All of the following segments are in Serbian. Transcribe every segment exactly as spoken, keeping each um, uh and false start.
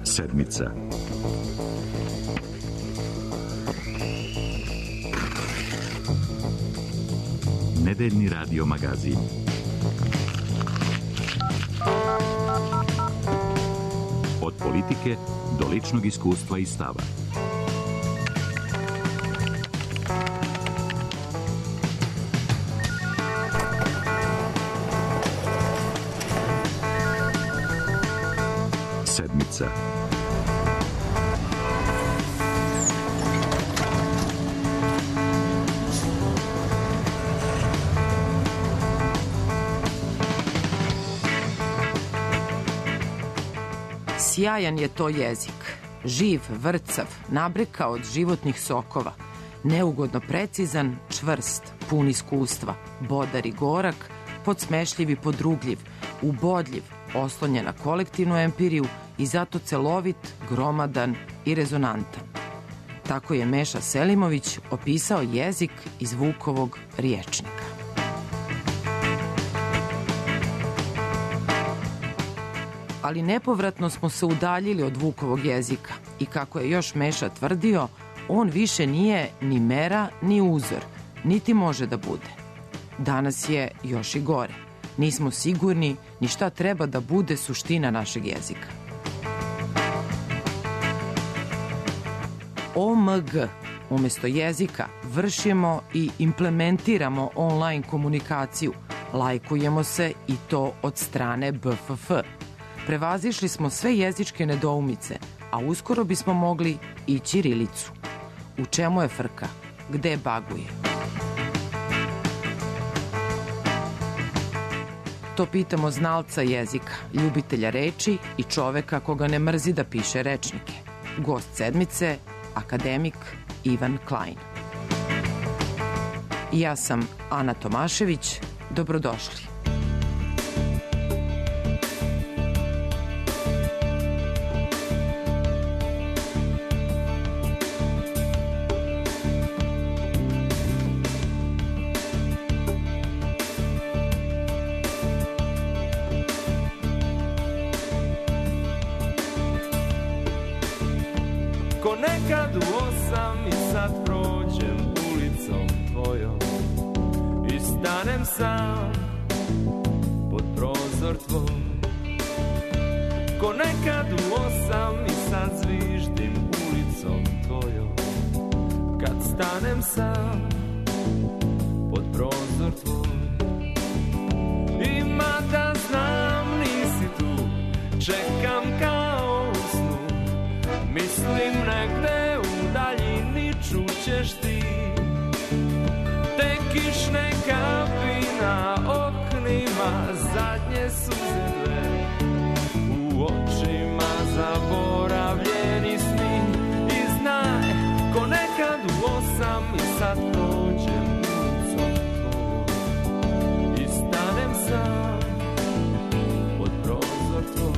Sedmica. Nedeljni radio magazin. Od politike do ličnog iskustva i stava. Sedmica. Sjajan je to jezik, živ, vrcav, nabreka od životnih sokova, neugodno precizan, čvrst, pun iskustva, bodar i gorak, podsmešljiv i podrugljiv, ubodljiv, oslonjen na kolektivnu empiriju i zato celovit, gromadan i rezonantan. Tako je Meša Selimović opisao jezik iz Vukovog rječnika. Ali nepovratno smo se udaljili od Vukovog jezika i kako je još Meša tvrdio, on više nije ni mera ni uzor, niti može da bude. Danas je još i gore. Nismo sigurni ni šta treba da bude suština našeg jezika. O M G umjesto jezika vršimo i implementiramo online komunikaciju, lajkujemo se i to od strane B F F. Prevazišli smo sve jezičke nedoumice, a uskoro bismo mogli i ćirilicu. U čemu je frka? Gde baguje? To pitamo znalca jezika, ljubitelja reči i čoveka koga ne mrzi da piše rečnike. Gost sedmice, akademik Ivan Klein. I ja sam Ana Tomašević. Dobrodošli. Ko nekad u osam i sad prođem ulicom tvojom i stanem sam pod prozor tvoj. Ko nekad u osam i sad zviždim ulicom tvojom kad stanem sam pod prozor tvoj. I mada znam nisi tu, čekam kao u snu, mislim negde u daljini čućeš ti te kišne kapi na oknima, zadnje suze dve u očima, zaboravljeni sni. I znaj, ko nekad u osam i sad prođem ulicom tvojom i stanem sam pod prozor tvoj.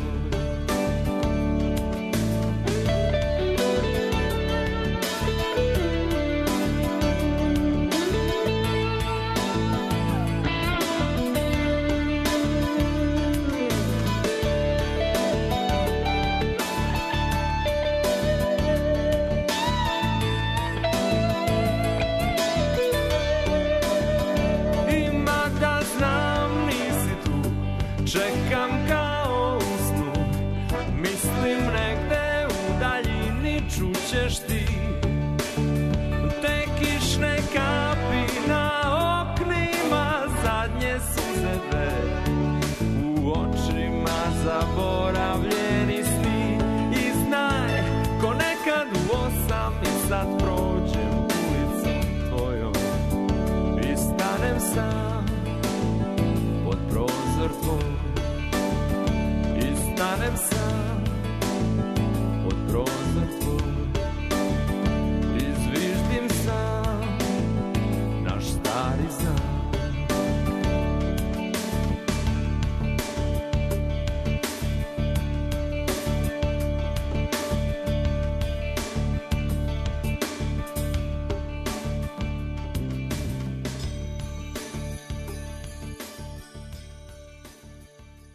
Čekam kao u snu, mislim negde u daljini čućeš ti te kišne kapi na oknima, zadnje suze dve u očima, zaboravljeni sni. I znaj, ko nekad u osam i sad prođem ulicom tvojom i stanem sam pod prozor tvoj. Stanem sam pod prozor tvoj i zviždim sam naš stari znak.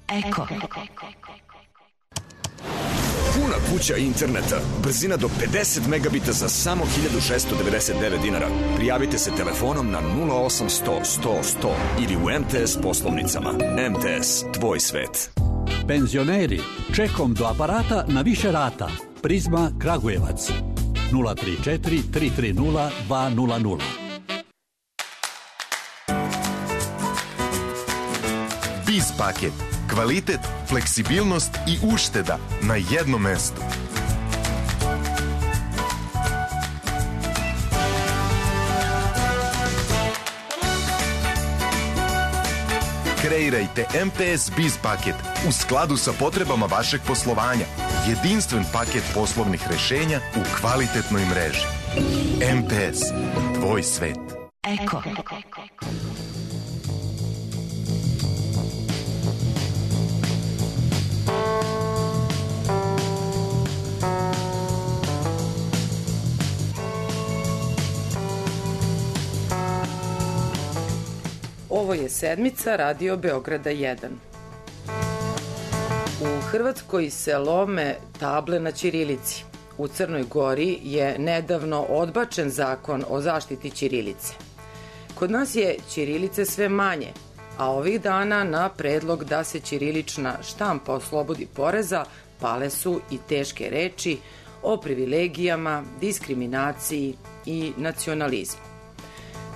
Eko. Puna kuća interneta, brzina do pedeset megabita za samo hiljadu šessto devedeset devet dinara. Prijavite se telefonom na nula osam sto sto sto ili u M T S poslovnicama. M T S, tvoj svet. Penzioneri, čekom do aparata na više rata. Prizma Kragujevac. nula tri četiri tri tri nula dva nula nula. Biz paket. Kvalitet, fleksibilnost i ušteda na jednom mestu. Kreirajte M T S Biz paket u skladu sa potrebama vašeg poslovanja. Jedinstven paket poslovnih rešenja u kvalitetnoj mreži. M T S, tvoj svet. Eko. Ovo je sedmica Radio Beograda jedan. U Hrvatskoj se lome table na ćirilici. U Crnoj Gori je nedavno odbačen zakon o zaštiti ćirilice. Kod nas je ćirilice sve manje, a ovih dana na predlog da se ćirilična štampa oslobodi poreza pale su i teške reči o privilegijama, diskriminaciji i nacionalizmu.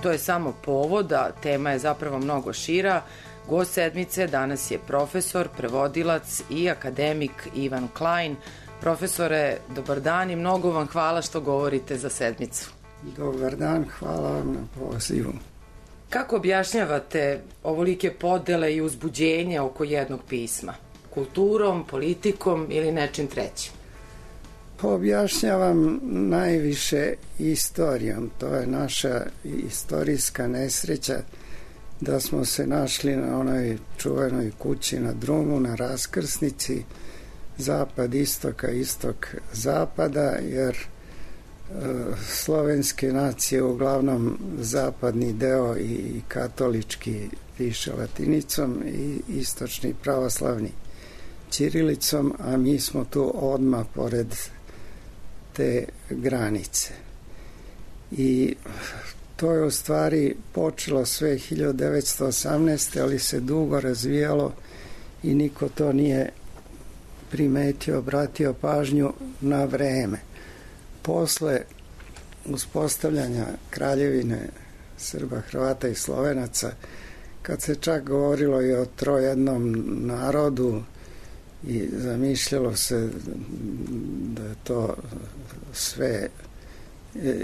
To je samo povod, a tema je zapravo mnogo šira. Gost sedmice danas je profesor, prevodilac i akademik Ivan Klein. Profesore, dobar dan i mnogo vam hvala što govorite za sedmicu. Dobar dan, hvala vam na pozivu. Kako objašnjavate ovolike podele i uzbuđenje oko jednog pisma? Kulturom, politikom ili nečim trećim? Objašnjavam najviše istorijom. To je naša istorijska nesreća da smo se našli na onoj čuvenoj kući na drumu, na raskrsnici zapad istoka, istok zapada, jer e, slovenske nacije uglavnom zapadni deo i katolički piše latinicom i istočni pravoslavni ćirilicom, a mi smo tu odmah pored te granice. I to je u stvari počelo sve hiljadu devetsto osamnaeste. ali se dugo razvijalo i niko to nije primetio, obratio pažnju na vreme. Posle uspostavljanja kraljevine Srba, Hrvata i Slovenaca, kad se čak govorilo i o trojednom narodu i zamišljalo se da je to sve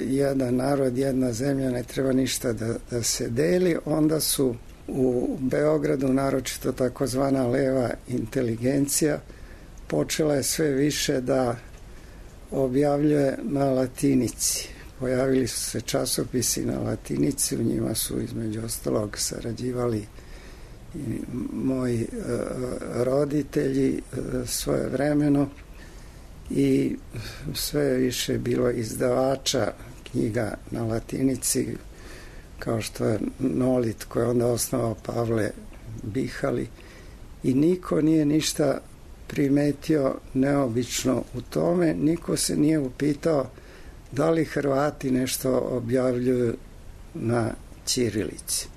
jedan narod, jedna zemlja, ne treba ništa da, da se deli, onda su u Beogradu, naročito takozvana leva inteligencija, počela je sve više da objavljuje na latinici. Pojavili su se časopisi na latinici, u njima su između ostalog sarađivali i moji e, roditelji e, svojevremeno i sve više bilo izdavača knjiga na latinici, kao što je Nolit, koji je onda osnovao Pavle Bihali, i niko nije ništa primetio neobično u tome, niko se nije upitao da li Hrvati nešto objavljuju na ćirilici.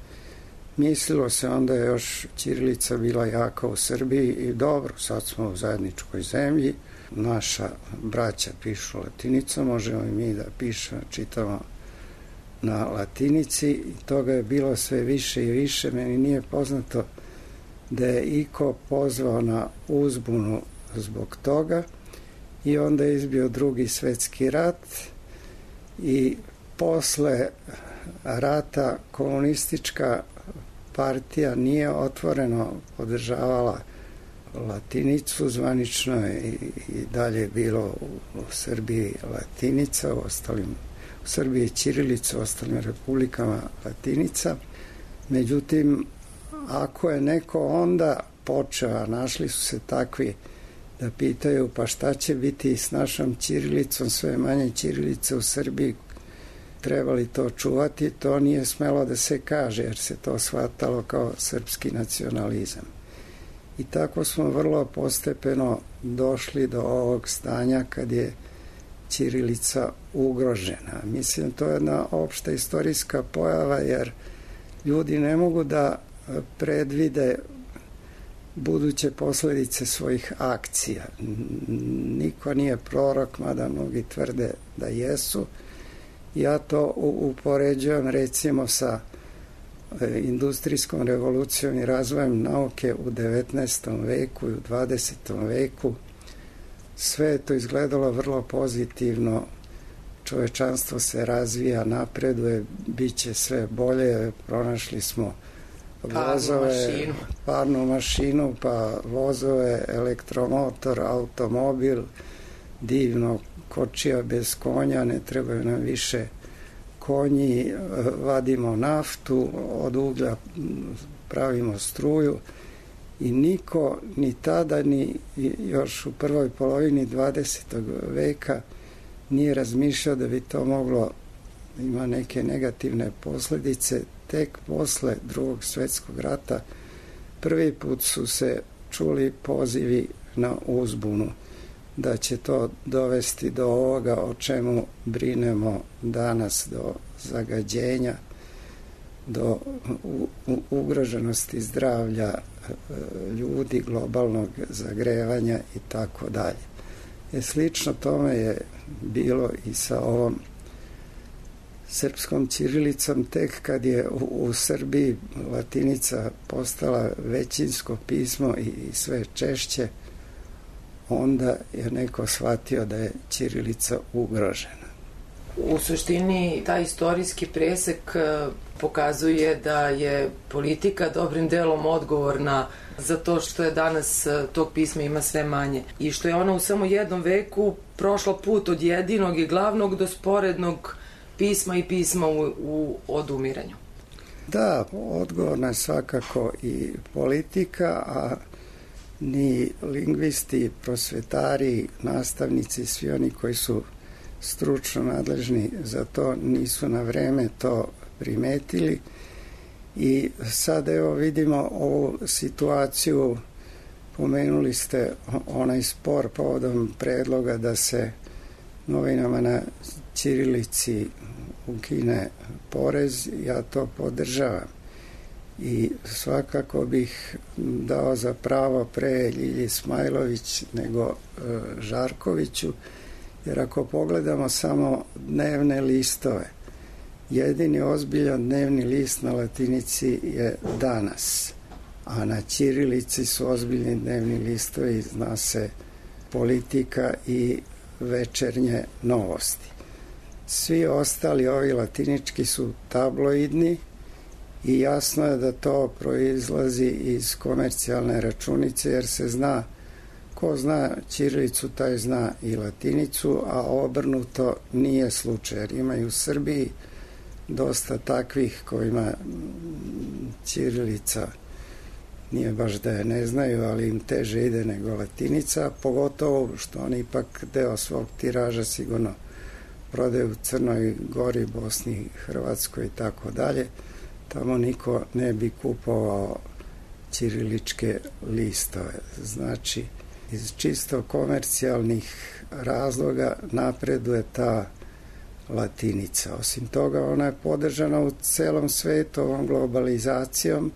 Mislilo se onda je još ćirilica bila jaka u Srbiji i dobro, sad smo u zajedničkoj zemlji, naša braća pišu latinicom, možemo i mi da pišemo, čitamo na latinici, i toga je bilo sve više i više. Meni nije poznato da je iko pozvao na uzbunu zbog toga, i onda je izbio drugi svetski rat i posle rata komunistička partija nije otvoreno podržavala latinicu, zvanično je i, i dalje bilo u, u Srbiji latinica, u ostalim, u Srbiji ćirilica, u ostalim republikama latinica. Međutim, ako je neko onda počeo, a našli su se takvi da pitaju pa šta će biti s našom ćirilicom, sve manje ćirilice u Srbiji, trebali to čuvati, to nije smelo da se kaže, jer se to shvatalo kao srpski nacionalizam. I tako smo vrlo postepeno došli do ovog stanja kad je ćirilica ugrožena. Mislim, to je jedna opšta istorijska pojava, jer ljudi ne mogu da predvide buduće posledice svojih akcija. Niko nije prorok, mada mnogi tvrde da jesu. Ja to upoređujem recimo sa industrijskom revolucijom i razvojem nauke u devetnaestom veku i u dvadesetom veku. Sve je to izgledalo vrlo pozitivno. Čovečanstvo se razvija, napreduje, bit će sve bolje. Pronašli smo vozove, parnu mašinu. parnu mašinu, pa vozove, elektromotor, automobil, divno, kočija bez konja, ne trebaju nam više konji, vadimo naftu, od uglja pravimo struju i niko ni tada ni još u prvoj polovini dvadesetog veka nije razmišljao da bi to moglo ima neke negativne posledice. Tek posle Drugog svjetskog rata prvi put su se čuli pozivi na uzbunu da će to dovesti do ovoga o čemu brinemo danas, do zagađenja, do ugroženosti zdravlja ljudi, globalnog zagrevanja i tako dalje. E, slično tome je bilo i sa ovom srpskom ćirilicom. Tek kad je u, u Srbiji latinica postala većinsko pismo i, i sve češće, onda je neko shvatio da je ćirilica ugrožena. U suštini, taj istorijski presek pokazuje da je politika dobrim delom odgovorna za to što je danas tog pisma ima sve manje i što je ona u samo jednom veku prošla put od jedinog i glavnog do sporednog pisma i pisma u, u odumiranju. Da, odgovorna je svakako i politika, a ni lingvisti, prosvetari, nastavnici, svi oni koji su stručno nadležni za to nisu na vreme to primetili i sad evo vidimo ovu situaciju. Pomenuli ste onaj spor povodom predloga da se novinama na ćirilici ukine porez. Ja to podržavam i svakako bih dao za pravo pre Ljilji Smajlović nego e, Žarkoviću, jer ako pogledamo samo dnevne listove, jedini ozbiljan dnevni list na latinici je Danas, a na ćirilici su ozbiljni dnevni listovi, zna se Politika i Večernje novosti. Svi ostali ovi latinički su tabloidni i jasno je da to proizlazi iz komercijalne računice, jer se zna, ko zna ćirilicu taj zna i latinicu, a obrnuto nije slučaj, jer ima i u Srbiji dosta takvih kojima ćirilica nije baš da je ne znaju, ali im teže ide nego latinica, pogotovo što oni ipak deo svog tiraža sigurno prodaju u Crnoj Gori, Bosni, Hrvatskoj i tako dalje. Tamo niko ne bi kupovao ćiriličke listove. Znači, iz čisto komercijalnih razloga napreduje ta latinica. Osim toga, ona je podržana u celom svetu ovom globalizacijom,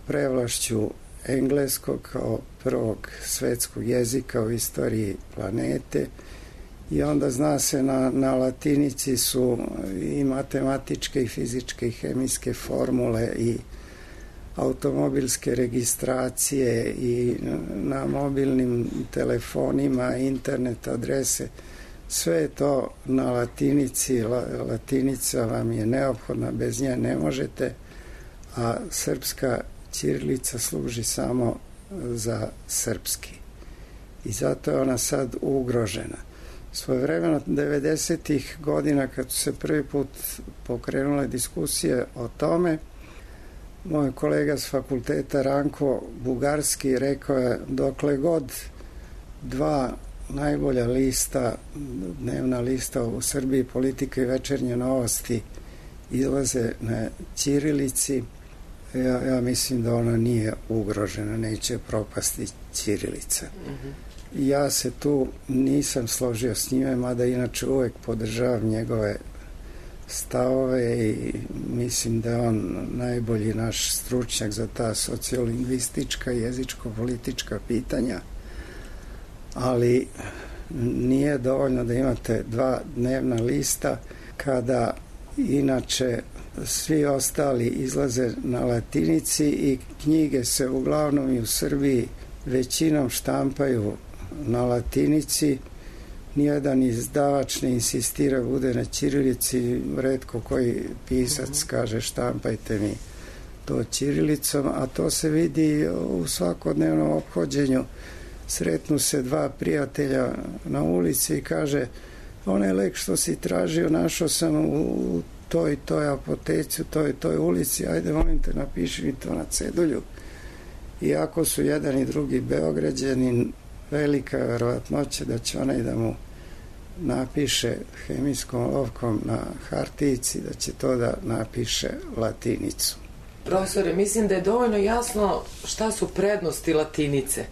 prevlašću engleskog kao prvog svetskog jezika u istoriji planete, i onda zna se na, na latinici su i matematičke i fizičke i hemijske formule i automobilske registracije i na mobilnim telefonima, internet adrese, sve je to na latinici. La, latinica vam je neophodna, bez nje ne možete, a srpska ćirilica služi samo za srpski. I zato je ona sad ugrožena. Svojevremeno devedesetih godina, kad su se prvi put pokrenule diskusije o tome, moj kolega s fakulteta Ranko Bugarski rekao je, dokle god dva najbolja lista, dnevna lista u Srbiji, Politika i Večernje novosti, izlaze na ćirilici, Ja, ja mislim da ona nije ugrožena, neće propasti ćirilica. Mm-hmm. Ja se tu nisam složio s njime, mada inače uvek podržavam njegove stavove i mislim da je on najbolji naš stručnjak za ta sociolingvistička i jezičko-politička pitanja, ali nije dovoljno da imate dva dnevna lista kada inače svi ostali izlaze na latinici i knjige se uglavnom i u Srbiji većinom štampaju na latinici. Nijedan izdavač ne insistira bude na ćirilici, retko koji pisac kaže štampajte mi to ćirilicom, a to se vidi u svakodnevnom ophođenju. Sretnu se dva prijatelja na ulici i kaže onaj lek što si tražio našao sam u toj toj apoteci, u toj toj ulici, ajde molim te napiši mi to na cedulju. Iako su jedan i drugi Beograđani, velika je verovatnoća da će onaj da mu napiše hemijskom olovkom na hartijici, da će to da napiše latinicu. Profesore, mislim da je dovoljno jasno šta su prednosti latinice,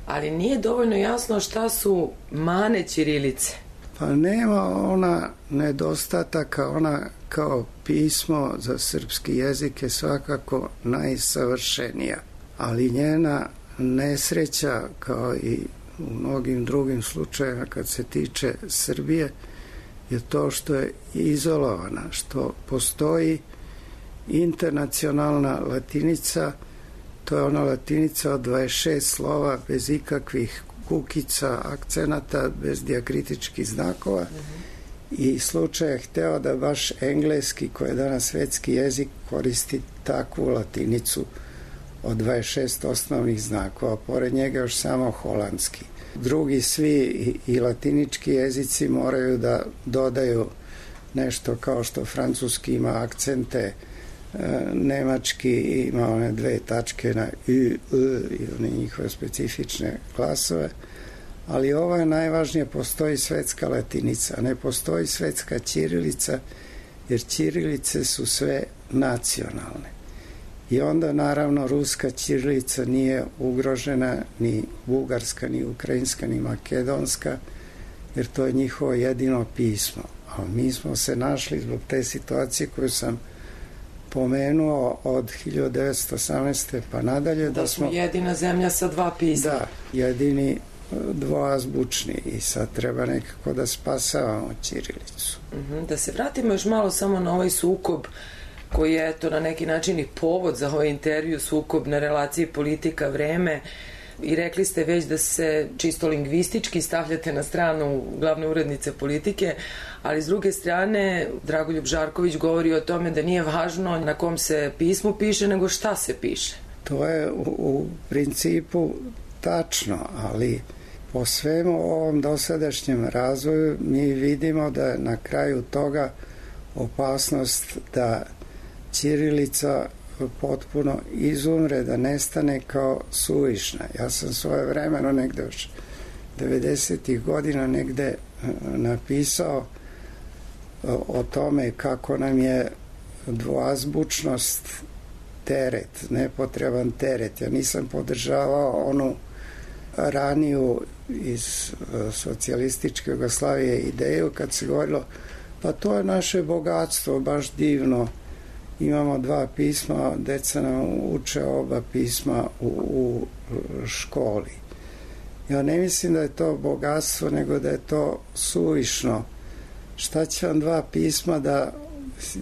ali nije dovoljno jasno šta su mane ćirilice. Pa nema ona nedostataka, ona kao pismo za srpski jezik je svakako najsavršenija, ali njena nesreća, kao i u mnogim drugim slučajevima kad se tiče Srbije, je to što je izolovana, što postoji internacionalna latinica, to je ona latinica od dvadeset šest slova bez ikakvih kukica, akcenata, bez dijakritičkih znakova. Mm-hmm. I slučaj je hteo da baš engleski, koji je danas svetski jezik, koristi takvu latinicu od dvadeset šest osnovnih znakova, pored njega još samo holandski. Drugi svi i, i latinički jezici moraju da dodaju nešto kao što francuski ima akcente, nemački ima one dve tačke na u, u i one njihove specifične glasove, ali ovo je najvažnije, postoji svetska latinica, ne postoji svetska ćirilica, jer ćirilice su sve nacionalne. I onda naravno ruska ćirilica nije ugrožena, ni bugarska, ni ukrajinska, ni makedonska, jer to je njihovo jedino pismo. A mi smo se našli zbog te situacije koju sam pomenuo od hiljadu devetsto osamnaeste pa nadalje. Da, da smo jedina zemlja sa dva pisma. Da, jedini dvoazbučni i sad treba nekako da spasavamo ćirilicu. Uh-huh. Da se vratimo još malo samo na ovaj sukob koji je eto na neki način i povod za ovaj intervju, sukob na relaciji politika-vreme, i rekli ste već da se čisto lingvistički stavljate na stranu glavne urednice Politike, ali s druge strane Dragoljub Žarković govori o tome da nije važno na kom se pismu piše, nego šta se piše. To je u, u principu tačno, ali po svemu ovom dosadašnjem razvoju mi vidimo da je na kraju toga opasnost da ćirilica potpuno izumre, da nestane kao suvišna. Ja sam svoje vremeno negde još devedesetih godina negde napisao o tome kako nam je dvoazbučnost teret, nepotreban teret. Ja nisam podržavao onu raniju iz socijalističke Jugoslavije ideju kad se govorilo pa to je naše bogatstvo, baš divno. Imamo dva pisma, deca nam uče oba pisma u, u školi. Ja ne mislim da je to bogatstvo, nego da je to suvišno. Šta će vam dva pisma da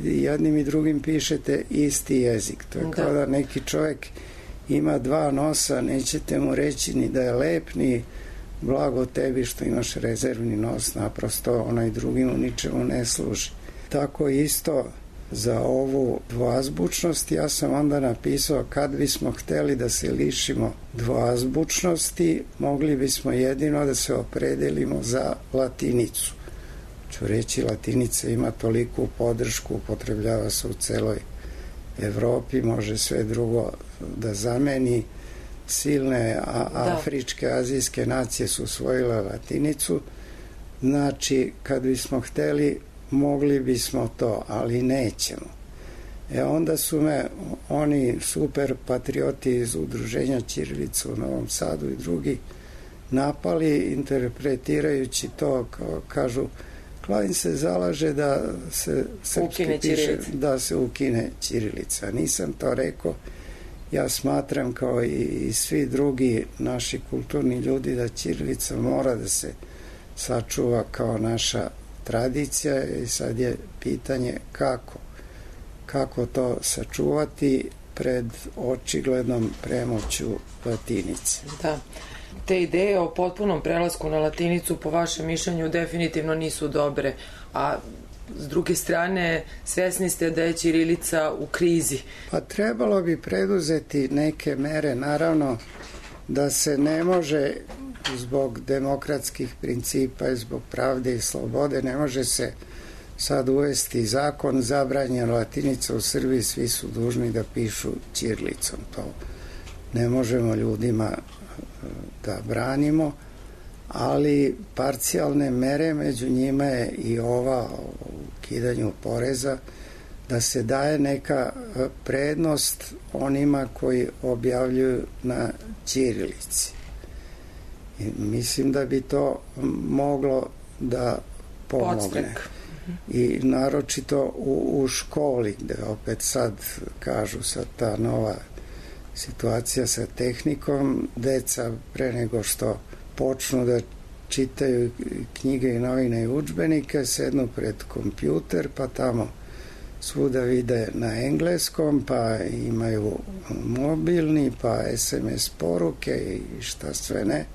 jednim i drugim pišete isti jezik? To je kao da neki čovjek ima dva nosa, nećete mu reći ni da je lep, ni blago tebi što imaš rezervni nos, naprosto onaj drugi mu ničemu ne služi. Tako isto za ovu dvoazbučnost ja sam onda napisao kad bismo hteli da se lišimo dvoazbučnosti, mogli bismo jedino da se opredelimo za latinicu. Ću reći, latinica ima toliku podršku, upotrebljava se u celoj Evropi, može sve drugo da zameni. Silne a, afričke, azijske nacije su usvojile latinicu. Znači, kad bismo hteli, mogli bismo to, ali nećemo. E onda su me oni super patrioti iz udruženja Ćirilica u Novom Sadu i drugi napali, interpretirajući to, kao, kažu, Klavin se zalaže da se srpski piše, da se ukine ćirilica. Nisam to rekao. Ja smatram, kao i, i svi drugi naši kulturni ljudi, da ćirilica mora da se sačuva kao naša tradicija i sad je pitanje kako. Kako to sačuvati pred očiglednom premoću latinice. Da. Te ideje o potpunom prelasku na latinicu po vašem mišljenju definitivno nisu dobre, a s druge strane svesni ste da je ćirilica u krizi. Pa trebalo bi preduzeti neke mere, naravno da se ne može zbog demokratskih principa i zbog pravde i slobode, ne može se sad uvesti zakon zabranjen latinica u Srbiji, svi su dužni da pišu ćirilicom. To ne možemo ljudima da branimo, ali parcijalne mere, među njima je i ova o ukidanju poreza, da se daje neka prednost onima koji objavljuju na ćirilici. I mislim da bi to moglo da pomogne. Podstrek. I naročito u, u školi, gde opet sad kažu sad ta nova situacija sa tehnikom, deca pre nego što počnu da čitaju knjige i novine i udžbenike, sednu pred kompjuter, pa tamo svuda vide na engleskom, pa imaju mobilni, pa es em es poruke i šta sve ne.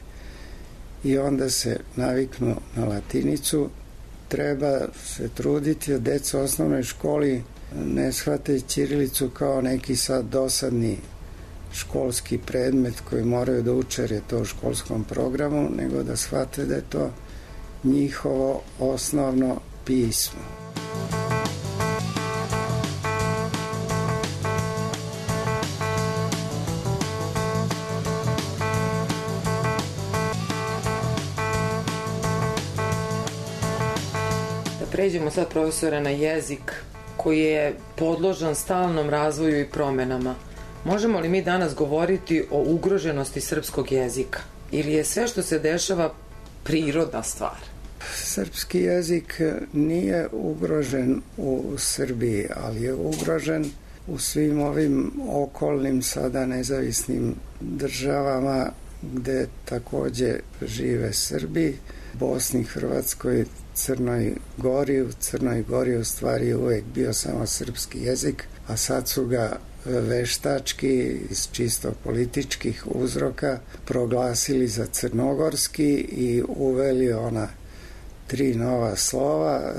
I onda se naviknu na latinicu. Treba se truditi da deca u osnovnoj školi ne shvate ćirilicu kao neki sad dosadni školski predmet koji moraju da uče jer je to u školskom programu, nego da shvate da je to njihovo osnovno pismo. Pređemo sad, profesore, na jezik koji je podložan stalnom razvoju i promenama. Možemo li mi danas govoriti o ugroženosti srpskog jezika? Ili je sve što se dešava prirodna stvar? Srpski jezik nije ugrožen u Srbiji, ali je ugrožen u svim ovim okolnim sada nezavisnim državama gde takođe žive Srbi, Bosni, Hrvatskoj, Crnoj Gori. U Crnoj Gori u stvari uvek bio samo srpski jezik, a sad su ga veštački iz čisto političkih uzroka proglasili za crnogorski i uveli ona tri nova slova,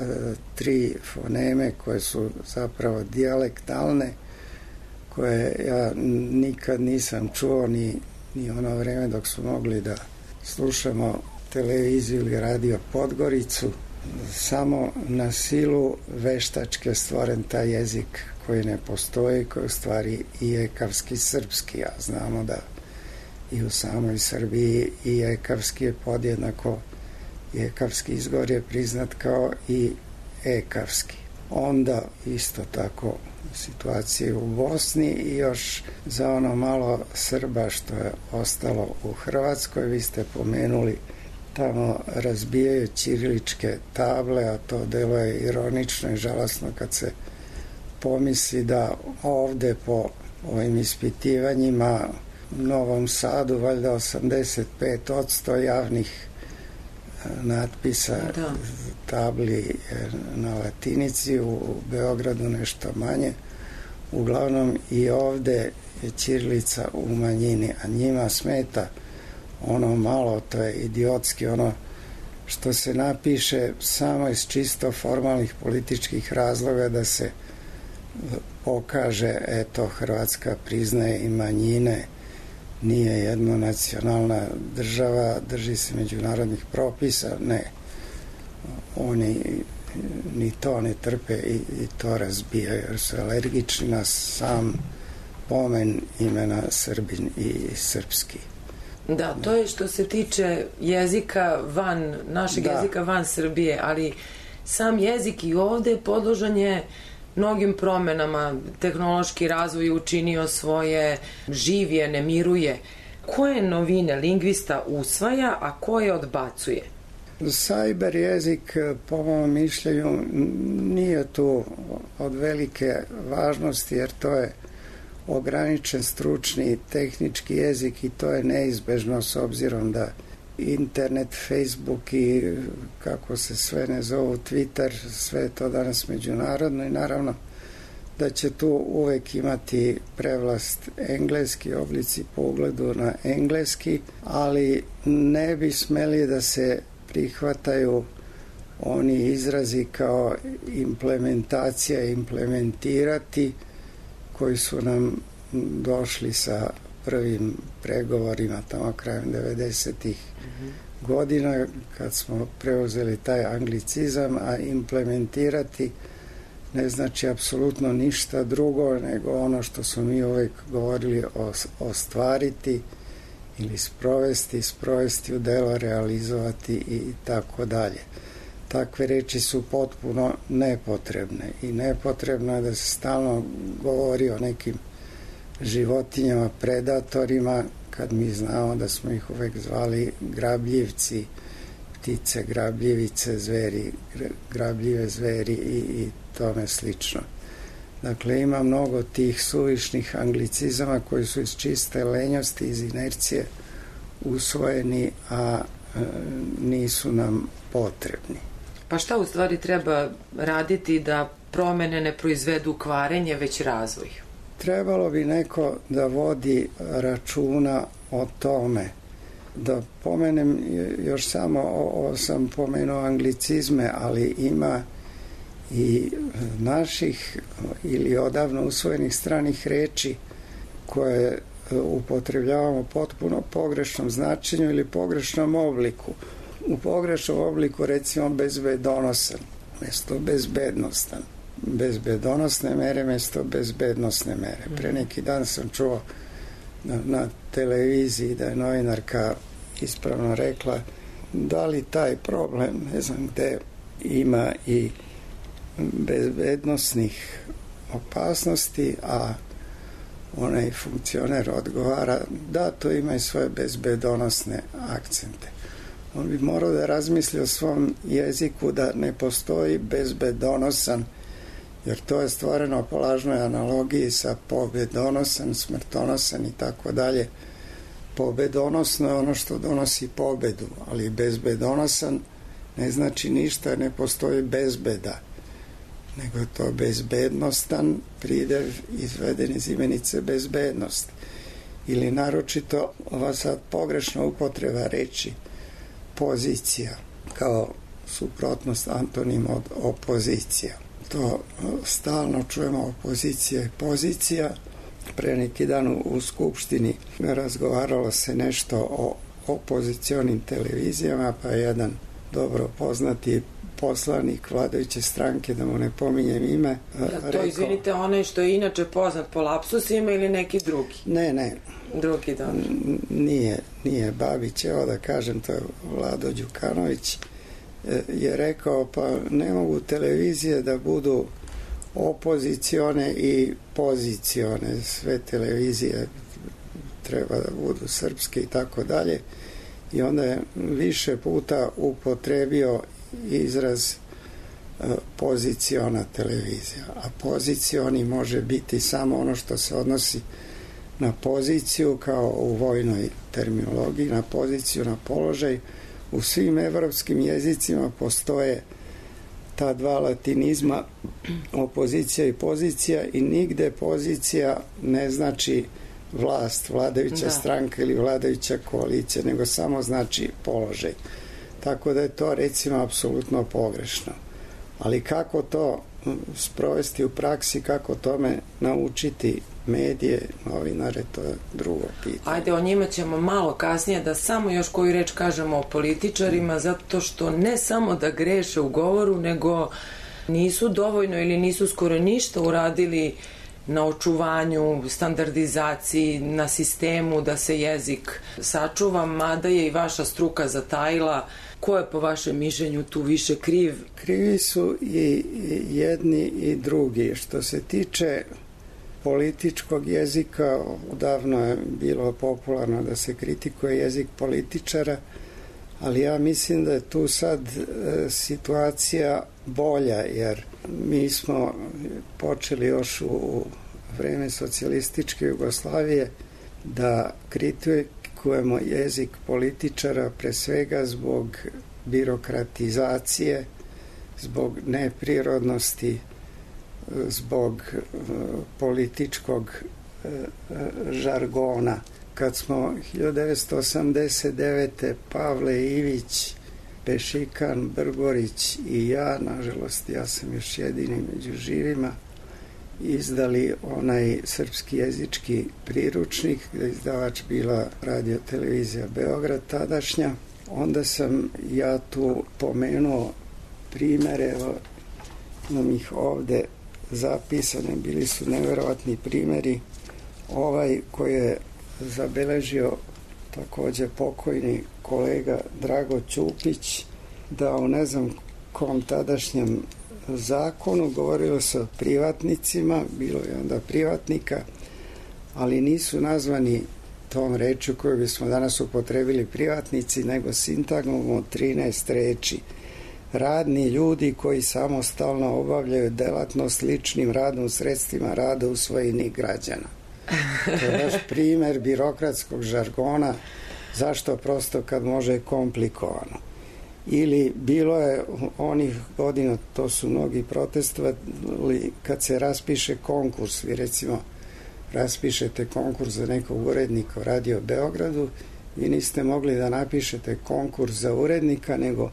tri foneme koje su zapravo dijalektalne, koje ja nikad nisam čuo ni, ni ono vreme dok su mogli da slušamo televiziju ili radio Podgoricu. Samo na silu veštačke stvoren taj jezik koji ne postoji, koji u stvari i ekavski srpski, a znamo da i u samoj Srbiji i ekavski je podjednako, i ekavski izgovor je priznat kao i ekavski. Onda isto tako situacije u Bosni i još za ono malo Srba što je ostalo u Hrvatskoj. Vi ste pomenuli tamo razbijaju ćiriličke table, a to deluje ironično i žalosno kad se pomisli da ovde po ovim ispitivanjima u Novom Sadu valjda osamdeset pet posto javnih natpisa da. Tabli na latinici, u Beogradu nešto manje. Uglavnom i ovde je ćirilica u manjini, a njima smeta ono malo, to je idiotski, ono što se napiše samo iz čisto formalnih političkih razloga da se pokaže, eto, Hrvatska priznaje i manjine, nije jednonacionalna država, drži se međunarodnih propisa. Ne, oni ni to ne trpe i, i to razbijaju jer su alergični na sam pomen imena Srbin i srpski. Da, to je što se tiče jezika van, našeg da. jezika van Srbije, ali sam jezik i ovde podložan je mnogim promenama, tehnološki razvoj učinio svoje, živ je, ne miruje. Koje novine lingvista usvaja, a koje odbacuje? Cyber jezik, po mom mišljenju, nije tu od velike važnosti, jer to je ograničen stručni tehnički jezik i to je neizbežno s obzirom da internet, Facebook i kako se sve ne zovu, Twitter, sve je to danas međunarodno i naravno da će tu uvek imati prevlast engleski oblici po ugledu na engleski, ali ne bi smeli da se prihvataju oni izrazi kao implementacija, implementirati, koji su nam došli sa prvim pregovorima tamo krajem devedesetih mm-hmm. godina, kad smo preuzeli taj anglicizam, a implementirati ne znači apsolutno ništa drugo nego ono što smo mi uvek govorili o, ostvariti ili sprovesti, sprovesti u delo, realizovati i tako dalje. Takve reči su potpuno nepotrebne i nepotrebno je da se stalno govori o nekim životinjama, predatorima, kad mi znamo da smo ih uvek zvali grabljivci, ptice, grabljivice, zveri, grabljive zveri i, i tome slično. Dakle, ima mnogo tih suvišnih anglicizama koji su iz čiste lenjosti, iz inercije usvojeni, a e, nisu nam potrebni. Pa šta u stvari treba raditi da promene ne proizvedu kvarenje, već razvoj? Trebalo bi neko da vodi računa o tome. Da pomenem još samo, ovo sam pomenuo anglicizme, ali ima i naših ili odavno usvojenih stranih reči koje upotrebljavamo potpuno pogrešnom značenju ili pogrešnom obliku. U pogrešnom obliku recimo bezbedonosan mesto bezbednostan, bezbedonosne mere mesto bezbednosne mere. Pre neki dan sam čuo na, na televiziji da je novinarka ispravno rekla da li taj problem, ne znam gde, ima i bezbednosnih opasnosti, a onaj funkcioner odgovara da to ima i svoje bezbedonosne akcente. On bi morao da razmisli o svom jeziku da ne postoji bezbedonosan, jer to je stvoreno po lažnoj analogiji sa pobedonosan, smrtonosan i tako dalje. Pobedonosno je ono što donosi pobedu, ali bezbedonosan ne znači ništa, ne postoji bezbeda, nego je to bezbednostan pridev izveden iz imenice bezbednost. Ili naročito ova sad pogrešna upotreba reči pozicija kao suprotnost, antonim od opozicija. To stalno čujemo, opozicija i pozicija. Pre neki dan u, u Skupštini razgovaralo se nešto o opozicionim televizijama, pa je jedan dobro poznati poslanik vladajuće stranke, da mu ne pominjem ime, ja, to rekao, izvinite, onaj što je inače poznat po lapsusima ili neki drugi? Ne, ne. Drugi, dobro. Nije, nije Babić, evo da kažem, to je Vlado Đukanović, je rekao, pa ne mogu televizije da budu opozicione i pozicione, sve televizije treba da budu srpske i tako dalje, i onda je više puta upotrebio izraz poziciona televizija, a pozicioni može biti samo ono što se odnosi na poziciju, kao u vojnoj terminologiji, na poziciju, na položaj. U svim evropskim jezicima postoje ta dva latinizma, opozicija i pozicija, i nigde pozicija ne znači vlast, vladajuća da. stranka ili vladajuća koalicija, nego samo znači položaj. Tako da je to, recimo, apsolutno pogrešno. Ali kako to sprovesti u praksi, kako tome naučiti medije, novinare, to je drugo pitanje. Ajde, o njima ćemo malo kasnije, da samo još koju reč kažemo o političarima, zato što ne samo da greše u govoru, nego nisu dovoljno ili nisu skoro ništa uradili na očuvanju, standardizaciji, na sistemu da se jezik sačuva, mada je i vaša struka zatajila. Ko je po vašem mišljenju tu više kriv? Krivi su i jedni i drugi. Što se tiče političkog jezika, odavno je bilo popularno da se kritikuje jezik političara, ali ja mislim da je tu sad e, situacija bolja, jer mi smo počeli još u vreme socijalističke Jugoslavije da kritikujemo jezik političara pre svega zbog birokratizacije, zbog neprirodnosti, zbog e, političkog e, žargona. Kad smo hiljadu devetsto osamdeset devete. Pavle Ivić, Pešikan, Brgorić i ja, nažalost ja sam još jedini među živima, izdali onaj srpski jezički priručnik, gde je izdavač bila Radio Televizija Beograd tadašnja, onda sam ja tu pomenuo primere, imam ih ovde zapisane, bili su neverovatni primeri. Ovaj koji je zabeležio takođe pokojni kolega Drago Ćupić, da u ne znam kom tadašnjem zakonu govorilo se o privatnicima, bilo je onda privatnika, ali nisu nazvani tom rečju koju bismo danas upotrebili privatnici, nego sintagmom od trinaest reči. Radni ljudi koji samostalno obavljaju delatnost ličnim radom, sredstvima rada u svojini građana. To je baš primer birokratskog žargona, zašto prosto kad može komplikovano. Ili bilo je onih godina, to su mnogi protestovali, kad se raspiše konkurs, vi recimo raspišete konkurs za nekog urednika u Radio Beogradu, vi niste mogli da napišete konkurs za urednika, nego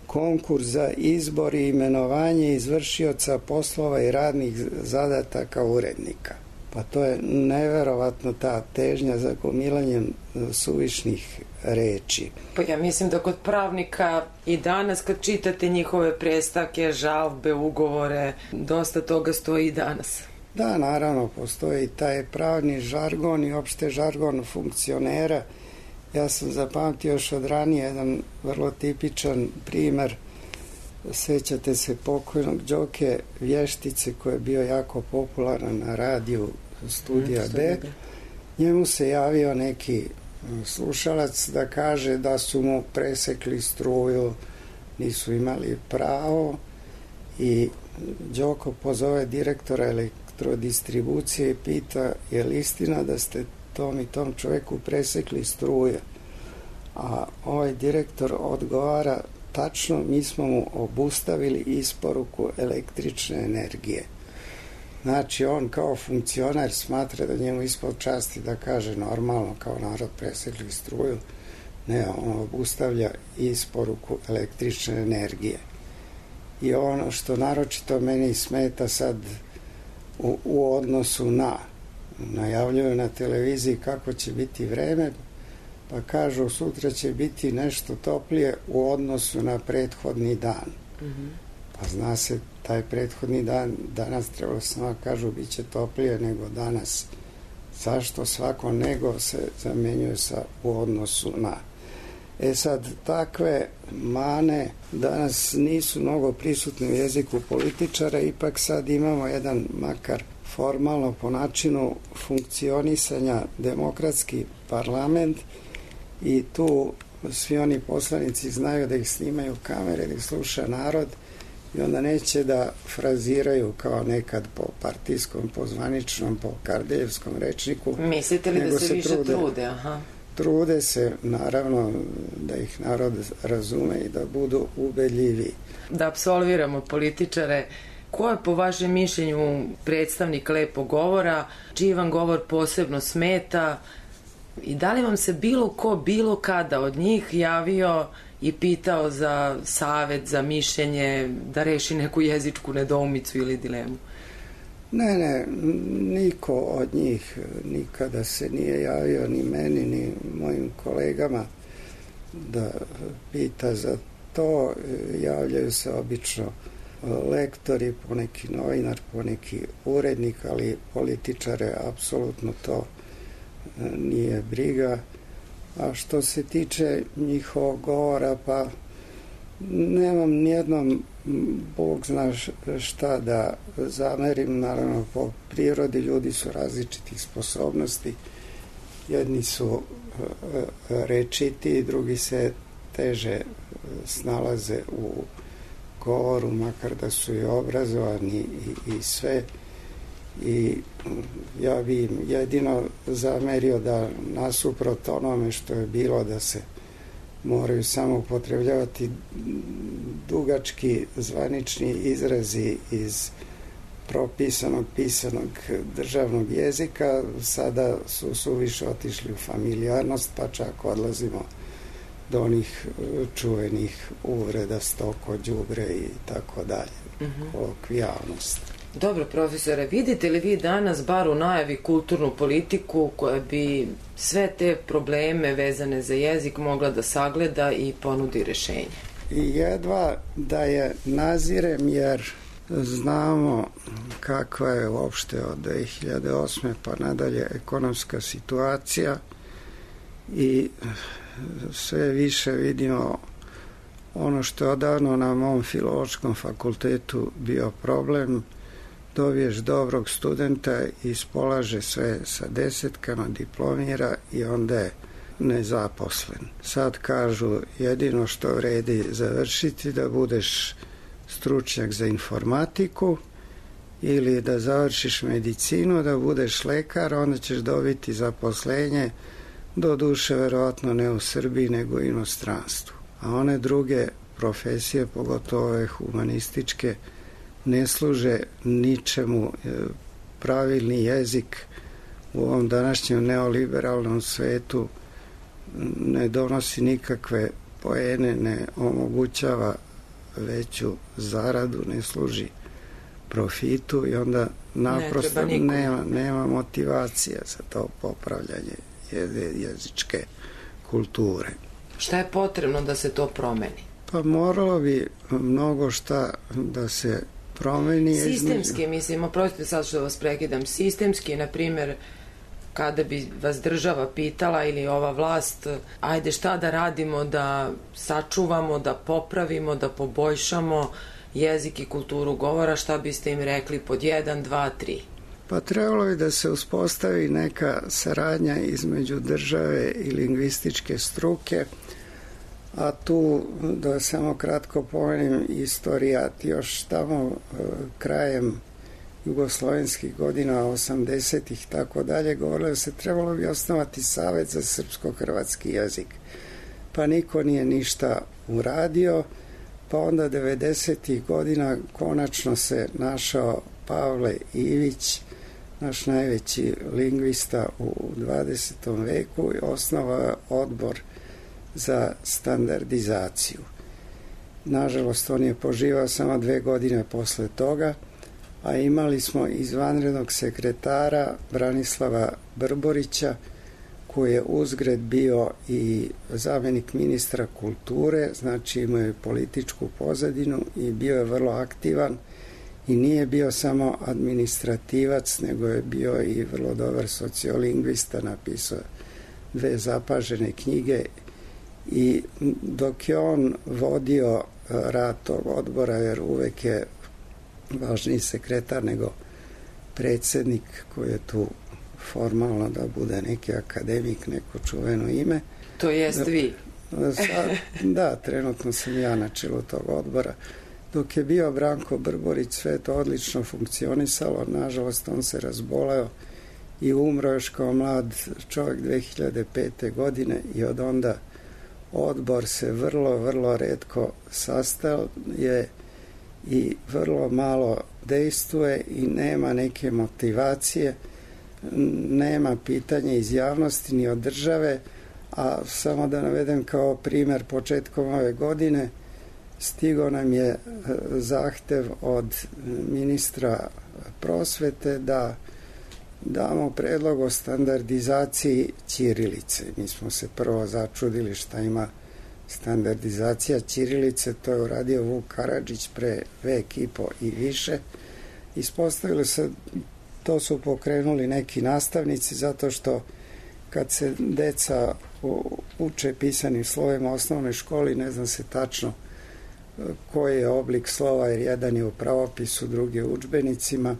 konkurs za izbor i imenovanje izvršioca poslova i radnih zadataka urednika. Pa to je neverovatno ta težnja za gomilanjem suvišnih reči. Pa ja mislim da kod pravnika i danas kad čitate njihove prestake, žalbe, ugovore, dosta toga stoji i danas. Da, naravno, postoji taj pravni žargon i opšte žargon funkcionera. Ja sam zapamtio još od ranije jedan vrlo tipičan primer. Sećate se pokojnog Đoke Vještice koji je bio jako popularan na radiju Studija B. Njemu se javio neki slušalac da kaže da su mu presekli struju, nisu imali pravo, i Đoko pozove direktora elektrodistribucije i pita je li istina da ste tom i tom čoveku presekli struje. A ovaj direktor odgovara, tačno, mi smo mu obustavili isporuku električne energije. Znači, on kao funkcionar smatra da njemu ispod časti da kaže normalno, kao narod presekli struju. Ne, on obustavlja isporuku električne energije. I ono što naročito meni smeta sad u, u odnosu na, najavljuju na televiziji kako će biti vreme, pa kažu sutra će biti nešto toplije u odnosu na prethodni dan. Mm-hmm. Pa zna se, taj prethodni dan, danas trebalo samo kažu bit će toplije nego danas. Zašto svako nego se zamenjuje sa u odnosu na? E sad, takve mane danas nisu mnogo prisutne u jeziku političara, ipak sad imamo jedan, makar formalno po načinu funkcionisanja, demokratski parlament, i tu svi oni poslanici znaju da ih snimaju kamere, da ih sluša narod, i onda neće da fraziraju kao nekad po partijskom, po zvaničnom, po Kardeljevskom rečniku. Mislite li da se, se više trude, trude? Aha. Trude se, naravno, da ih narod razume i da budu ubedljivi. Da apsolviramo političare, ko je po vašem mišljenju predstavnik lepog govora, čiji vam govor posebno smeta, i da li vam se bilo ko, bilo kada od njih javio i pitao za savet, za mišljenje, da reši neku jezičku nedoumicu ili dilemu? Ne, ne, niko od njih nikada se nije javio, ni meni, ni mojim kolegama, da pita za to. Javljaju se obično lektori, poneki novinar, poneki urednik, ali političare apsolutno to nije briga. A što se tiče njihovog govora, pa nemam nijednom, Bog zna šta da zamerim, naravno po prirodi ljudi su različitih sposobnosti, jedni su rečiti, drugi se teže snalaze u govoru, makar da su i obrazovani i, i sve. I ja bi im jedino zamerio da nasuprot onome što je bilo da se moraju samo upotrebljavati dugački zvanični izrazi iz propisanog, pisanog državnog jezika, sada su suviše otišli u familijarnost, pa čak odlazimo do onih čuvenih uvreda, stoko, đubre i tako dalje, kolokvijalnost. Dobro, profesore, vidite li vi danas bar u najavi kulturnu politiku koja bi sve te probleme vezane za jezik mogla da sagleda i ponudi rešenje? I jedva da je nazirem, jer znamo kakva je uopšte od dve hiljade osme pa nadalje ekonomska situacija i sve više vidimo ono što je odavno na mom filološkom fakultetu bio problem. Dobiješ dobrog studenta i ispolaže sve sa desetkama, diplomira i onda je nezaposlen. Sad kažu jedino što vredi završiti da budeš stručnjak za informatiku ili da završiš medicinu, da budeš lekar, onda ćeš dobiti zaposlenje, do duše verovatno ne u Srbiji nego u inostranstvu. A one druge profesije, pogotovo ove humanističke, ne služe ničemu. Pravilni jezik u ovom današnjem neoliberalnom svetu ne donosi nikakve poene, ne omogućava veću zaradu, ne služi profitu i onda naprosto ne nema, nema motivacije za to popravljanje jezičke kulture. Šta je potrebno da se to promeni? Pa moralo bi mnogo šta da se promeni. Sistemski, između... mislim, oprostite sad što vas prekidam, sistemski, na primjer, kada bi vas država pitala ili ova vlast, ajde šta da radimo da sačuvamo, da popravimo, da poboljšamo jezik i kulturu govora, šta biste im rekli pod jedan, dva, tri? Pa trebalo bi da se uspostavi neka saradnja između države i lingvističke struke, a tu da samo kratko pomenem istorijat, još tamo krajem jugoslovenskih godina, osamdesetih tako dalje, govorilo da se trebalo bi osnovati Savet za srpsko-hrvatski jezik. Pa niko nije ništa uradio, pa onda devedesetih godina konačno se našao Pavle Ivić, naš najveći lingvista u dvadesetom veku, i osnovao odbor za standardizaciju. Nažalost, on je poživao samo dve godine posle toga, a imali smo izvanrednog sekretara Branislava Brborića, koji je uzgred bio i zamenik ministra kulture, znači imao je političku pozadinu i bio je vrlo aktivan i nije bio samo administrativac, nego je bio i vrlo dobar sociolingvista, napisao dve zapažene knjige. I dok je on vodio rad tog odbora, jer uvek je važniji sekretar nego predsednik, koji je tu formalno da bude neki akademik, neko čuveno ime. To jest vi. Sad, da, trenutno sam ja na čelu tog odbora. Dok je bio Branko Brborić, sve to odlično funkcionisalo. Nažalost, on se razboleo i umro još kao mlad čovjek dve hiljade pete. godine i od onda odbor se vrlo, vrlo retko sastaje i vrlo malo dejstvuje i nema neke motivacije, nema pitanja iz javnosti ni od države, a samo da navedem kao primer, početkom ove godine stigao nam je zahtev od ministra prosvete da damo predlog o standardizaciji ćirilice. Mi smo se prvo začudili šta ima standardizacija ćirilice, to je uradio Vuk Karadžić pre vek i po i više. Ispostavilo se, to su pokrenuli neki nastavnici, zato što kad se deca uče pisanim slovima u osnovnoj školi, ne zna se tačno koji je oblik slova, jer jedan je u pravopisu, drugi u udžbenicima.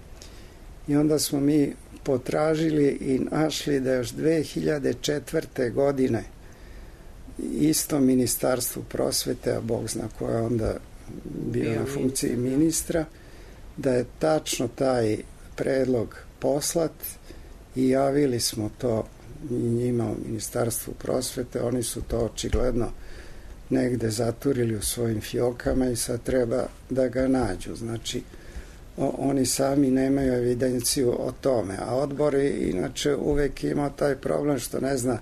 I onda smo mi potražili i našli da još dve hiljade četvrte. godine isto Ministarstvu prosvete, a Bog zna ko je onda bio na funkciji ministra, da je tačno taj predlog poslat i javili smo to njima u Ministarstvu prosvete. Oni su to očigledno negde zaturili u svojim fjokama i sad treba da ga nađu. Znači, o, oni sami nemaju evidenciju o tome, a odbor je inače uvek imao taj problem što ne zna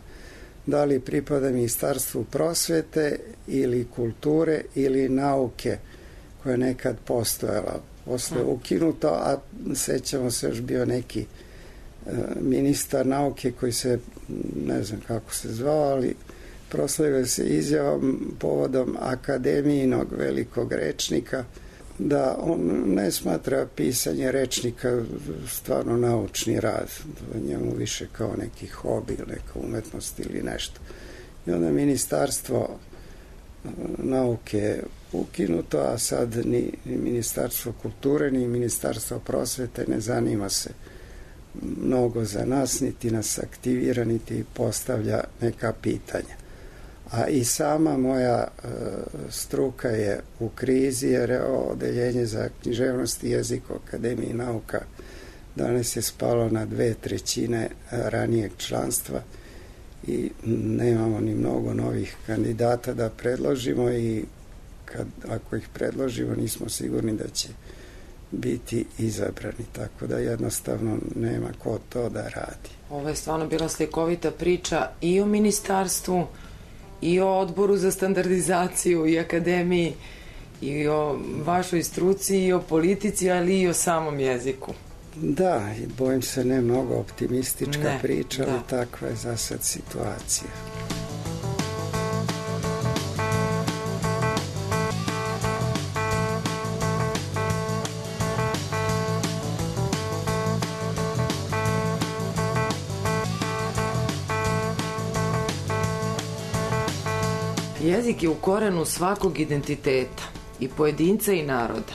da li pripada Ministarstvu prosvete ili kulture ili nauke koja je nekad postojala. Posle je ukinuto, a sećamo se još bio neki e, ministar nauke koji se, ne znam kako se zvao, ali proslavio se izjavom povodom akademijinog velikog rečnika da on ne smatra pisanje rečnika stvarno naučni rad, njemu više kao neki hobi, neka umetnost ili nešto. I onda Ministarstvo nauke ukinuto, a sad ni Ministarstvo kulture, ni Ministarstvo prosvete ne zanima se mnogo za nas, niti nas aktivira, niti postavlja neka pitanja. A i sama moja e, struka je u krizi, jer je odeljenje za književnost i jezik u Akademiji nauka danas je spalo na dve trećine ranijeg članstva i nemamo ni mnogo novih kandidata da predložimo i kad, ako ih predložimo nismo sigurni da će biti izabrani, tako da jednostavno nema ko to da radi. Ovo je stvarno bila slikovita priča i o ministarstvu i o odboru za standardizaciju i akademiji i o vašoj struci i o politici, ali i o samom jeziku. Da, i bojim se ne mnogo optimistička ne, priča, da. ali takva je za sad situacija. Jezik je u korenu svakog identiteta, i pojedinca i naroda.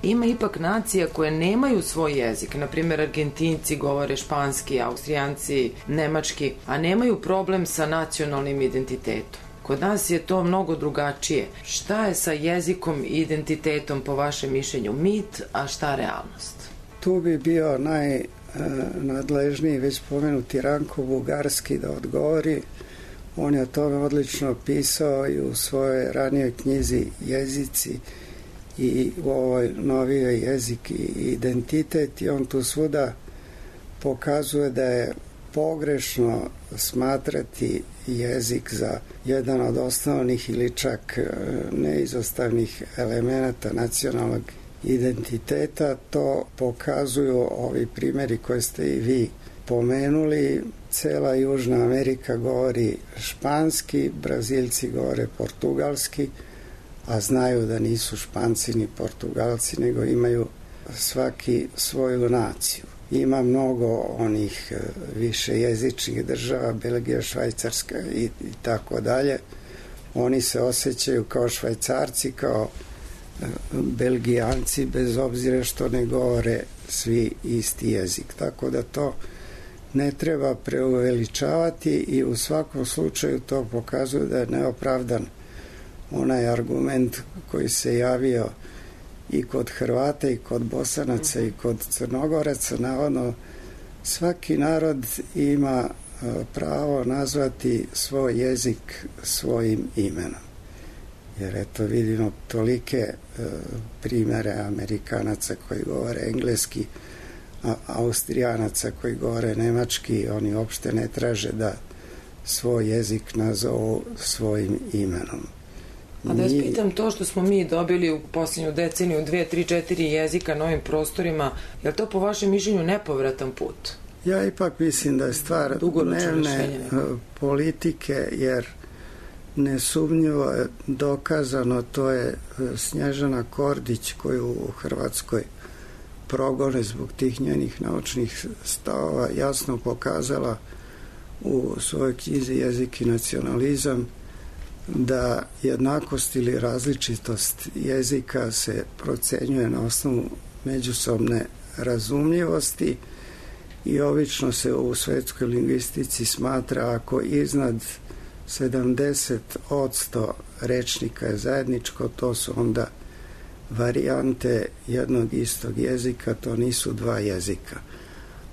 Ima ipak nacija koje nemaju svoj jezik, na primjer Argentinci govore španski, Austrijanci nemački, a nemaju problem sa nacionalnim identitetom. Kod nas je to mnogo drugačije. Šta je sa jezikom i identitetom po vašem mišljenju mit, a šta realnost? Tu bi bio najnadležniji već pomenuti Ranko Bugarski da odgovori. On je o tome odlično pisao i u svojoj ranijoj knjizi Jezici i u ovoj novijoj Jezik i identitet, i on tu svuda pokazuje da je pogrešno smatrati jezik za jedan od osnovnih ili čak neizostavnih elemenata nacionalnog identiteta. To pokazuju ovi primjeri koje ste i vi pomenuli. Cela Južna Amerika govori španski, Brazilci govore portugalski, a znaju da nisu Španci ni Portugalci, nego imaju svaki svoju naciju. Ima mnogo onih više jezičnih država, Belgija, Švajcarska i, i tako dalje. Oni se osjećaju kao Švajcarci, kao Belgijanci, bez obzira što ne govore svi isti jezik. Tako da to ne treba preuveličavati i u svakom slučaju to pokazuje da je neopravdan onaj argument koji se javio i kod Hrvata i kod Bosanaca i kod Crnogoraca. Navodno, svaki narod ima pravo nazvati svoj jezik svojim imenom. Jer eto vidimo tolike primere Amerikanaca koji govore engleski, a Austrijanaca koji govore nemački, oni uopšte ne traže da svoj jezik nazovu svojim imenom. A da vas pitam, to što smo mi dobili u posljednju deceniju dve, tri, četiri jezika na ovim prostorima, je li to po vašem mišljenju nepovratan put? Ja ipak mislim da je stvar dnevne politike, jer nesumnjivo je dokazano, to je Snježana Kordić koju u Hrvatskoj progone zbog tih njenih naučnih stavova jasno pokazala u svojoj knjizi Jezik i nacionalizam da jednakost ili različitost jezika se procenjuje na osnovu međusobne razumljivosti i obično se u svetskoj lingvistici smatra ako iznad sedamdeset posto rečnika je zajedničko, to su onda varijante jednog istog jezika, to nisu dva jezika.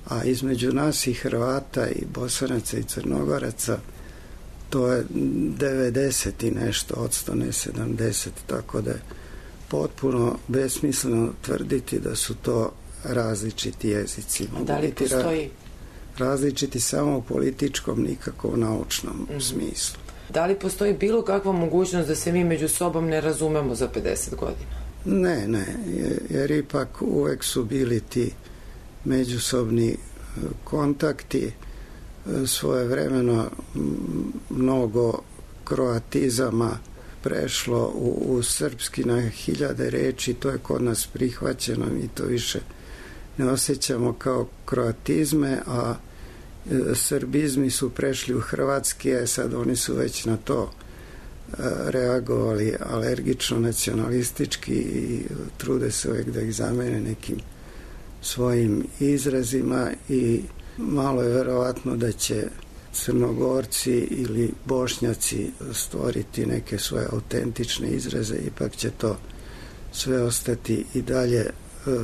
A između nas i Hrvata i Bosanaca i Crnogoraca to je devedeset i nešto odsto, ne sedamdeset, tako da je potpuno besmisleno tvrditi da su to različiti jezici. A da li postoji? Različiti samo u političkom, nikako u naučnom mm-hmm. smislu. Da li postoji bilo kakva mogućnost da se mi među sobom ne razumemo za pedeset godina? Ne, ne, jer ipak uvek su bili ti međusobni kontakti, svojevremeno mnogo kroatizama prešlo u, u srpski na hiljade reči, to je kod nas prihvaćeno, mi to više ne osjećamo kao kroatizme, a e, srbizmi su prešli u hrvatski, a sad oni su već na to e, reagovali alergično, nacionalistički i trude se uvijek da ih zamene nekim svojim izrazima i malo je verovatno da će Crnogorci ili Bošnjaci stvoriti neke svoje autentične izraze, ipak će to sve ostati i dalje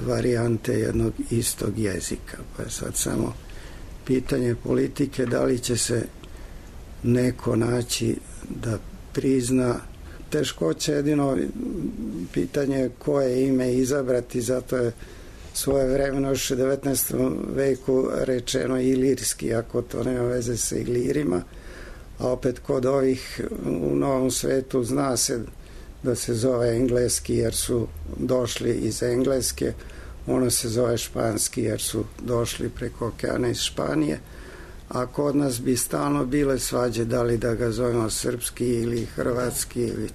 varijante jednog istog jezika. Pa je sad samo pitanje politike da li će se neko naći da prizna. Teškoće jedino pitanje koje ime izabrati, zato je svoje vremeno još u devetnaestom veku rečeno ilirski, ako to nema veze sa ilirima, a opet kod ovih u Novom svetu zna se da se zove engleski jer su došli iz Engleske, ono se zove španski jer su došli preko okeana iz Španije, a kod nas bi stalno bile svađe da li da ga zovemo srpski ili hrvatski ili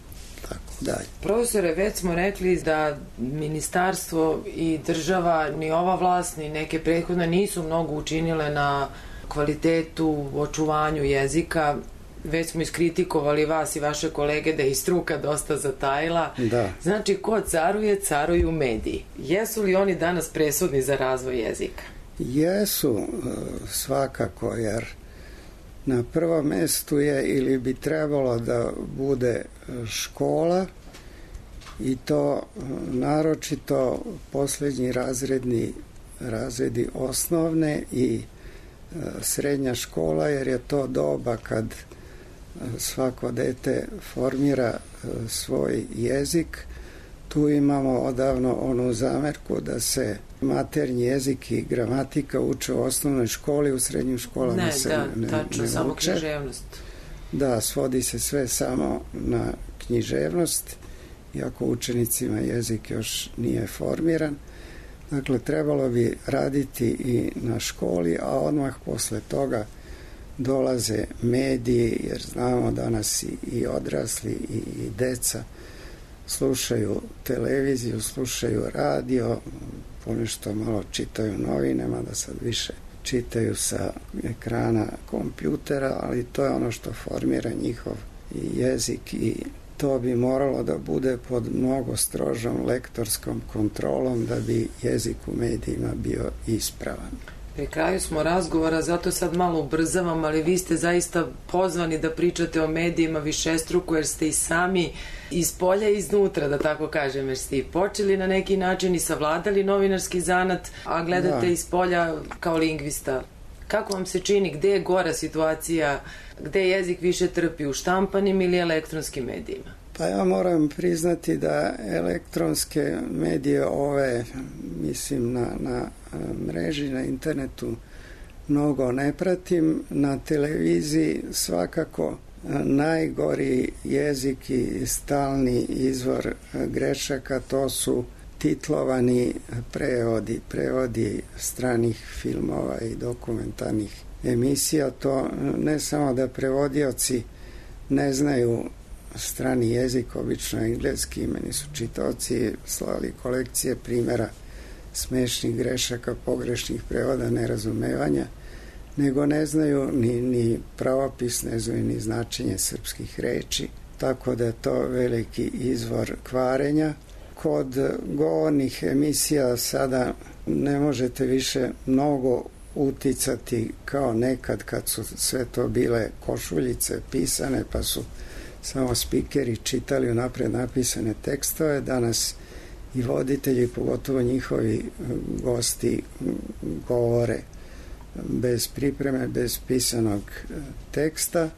tako dalje. Profesore, već smo rekli da ministarstvo i država, ni ova vlast, ni neke prethodne nisu mnogo učinile na kvalitetu, očuvanju jezika. Već smo iskritikovali vas i vaše kolege da je i struka dosta zatajila. Da. Znači, ko caruje, caruju mediji. Jesu li oni danas presudni za razvoj jezika? Jesu, svakako, jer na prvom mestu je ili bi trebalo da bude škola i to naročito poslednji razredni razredi osnovne i srednja škola, jer je to doba kad svako dete formira svoj jezik. Tu imamo odavno onu zamerku da se maternji jezik i gramatika uče u osnovnoj školi, u srednjim školama ne, se da, ne, tačno, ne samo uče. književnost. Da, svodi se sve samo na književnost, iako učenicima jezik još nije formiran. Dakle, trebalo bi raditi i na školi, a odmah posle toga dolaze mediji, jer znamo danas i, i odrasli i, i deca slušaju televiziju, slušaju radio, ponešto malo čitaju novine, mada sad više čitaju sa ekrana kompjutera, ali to je ono što formira njihov jezik i to bi moralo da bude pod mnogo strožom lektorskom kontrolom da bi jezik u medijima bio ispravan. Pri kraju smo razgovora, zato sad malo ubrzavam, ali vi ste zaista pozvani da pričate o medijima višestruko, jer ste i sami iz polja i iznutra, da tako kažem, jer ste i počeli na neki način i savladali novinarski zanat, a gledate da iz polja kao lingvista. Kako vam se čini, gde je gora situacija, gde jezik više trpi, u štampanim ili elektronskim medijima? Pa ja moram priznati da elektronske medije ove, mislim na, na mreži, na internetu mnogo ne pratim. Na televiziji svakako najgori jezik i stalni izvor grešaka, to su titlovani prevodi, prevodi stranih filmova i dokumentarnih emisija. To ne samo da prevodioci ne znaju strani jezik, obično engleski. Meni su čitaoci slali kolekcije primjera smešnih grešaka, pogrešnih prevoda, nerazumevanja, nego ne znaju ni, ni pravopis, ne znaju ni značenje srpskih reči, tako da je to veliki izvor kvarenja. Kod govornih emisija sada ne možete više mnogo uticati kao nekad kad su sve to bile košuljice pisane pa su samo spikeri čitali unapred napisane tekstove. Danas i voditelji, pogotovo njihovi gosti, govore bez pripreme, bez pisanog teksta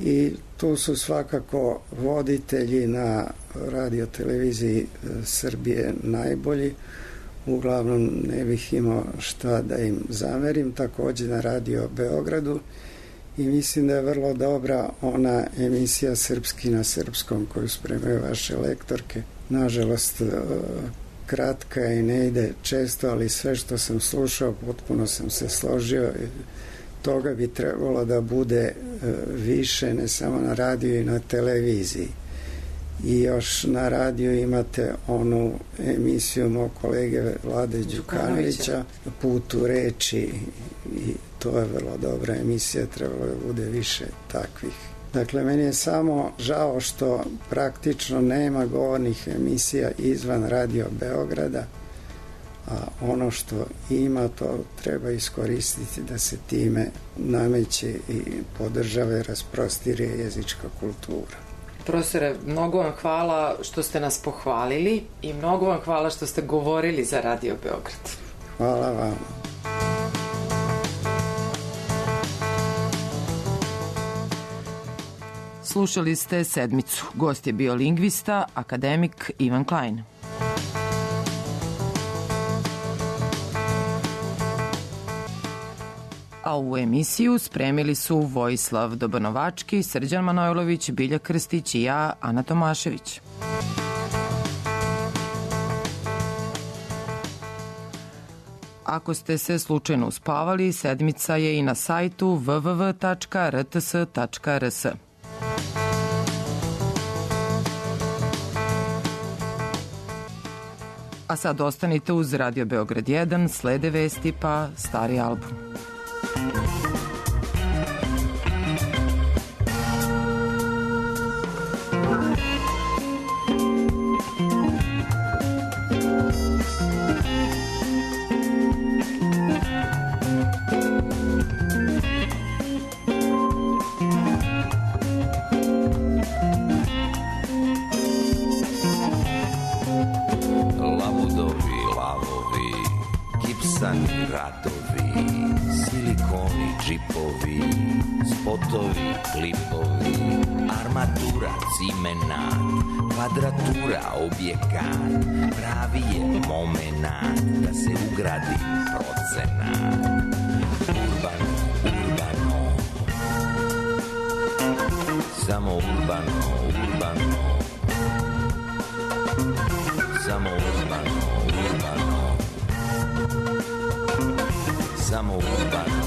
i tu su svakako voditelji na radioteleviziji Srbije najbolji. Uglavnom ne bih imao šta da im zamerim, takođe na Radio Beogradu, i mislim da je vrlo dobra ona emisija Srpski na srpskom koju spremaju vaše lektorke. Nažalost, kratka je i ne ide često, ali sve što sam slušao potpuno sam se složio. Toga bi trebalo da bude više, ne samo na radiju i na televiziji. I još na radiju imate onu emisiju mog kolege Vlade Đukanovića, Put u reči, i to je vrlo dobra emisija, trebalo da bude više takvih. Dakle, meni je samo žao što praktično nema govornih emisija izvan Radio Beograda, a ono što ima to treba iskoristiti da se time nameće i podržava i rasprostire jezička kultura. Profesore, mnogo vam hvala što ste nas pohvalili i mnogo vam hvala što ste govorili za Radio Beograd. Hvala vam. Slušali ste Sedmicu. Gost je bio lingvista, akademik Ivan Klein. A ovu emisiju spremili su Vojislav Dobanovački, Srđan Manojlović, Bilja Krstić i ja, Ana Tomašević. Ako ste se slučajno uspavali, Sedmica je i na sajtu w w w tačka r t s tačka r s. A sad ostanite uz Radio Beograd jedan, slede vesti pa stari album. Kvadratura, objekat, pravi je momenat da se ugradi procenat. Urbano, urbano, samo urbano, urbano, samo urbano, urbano, samo urbano.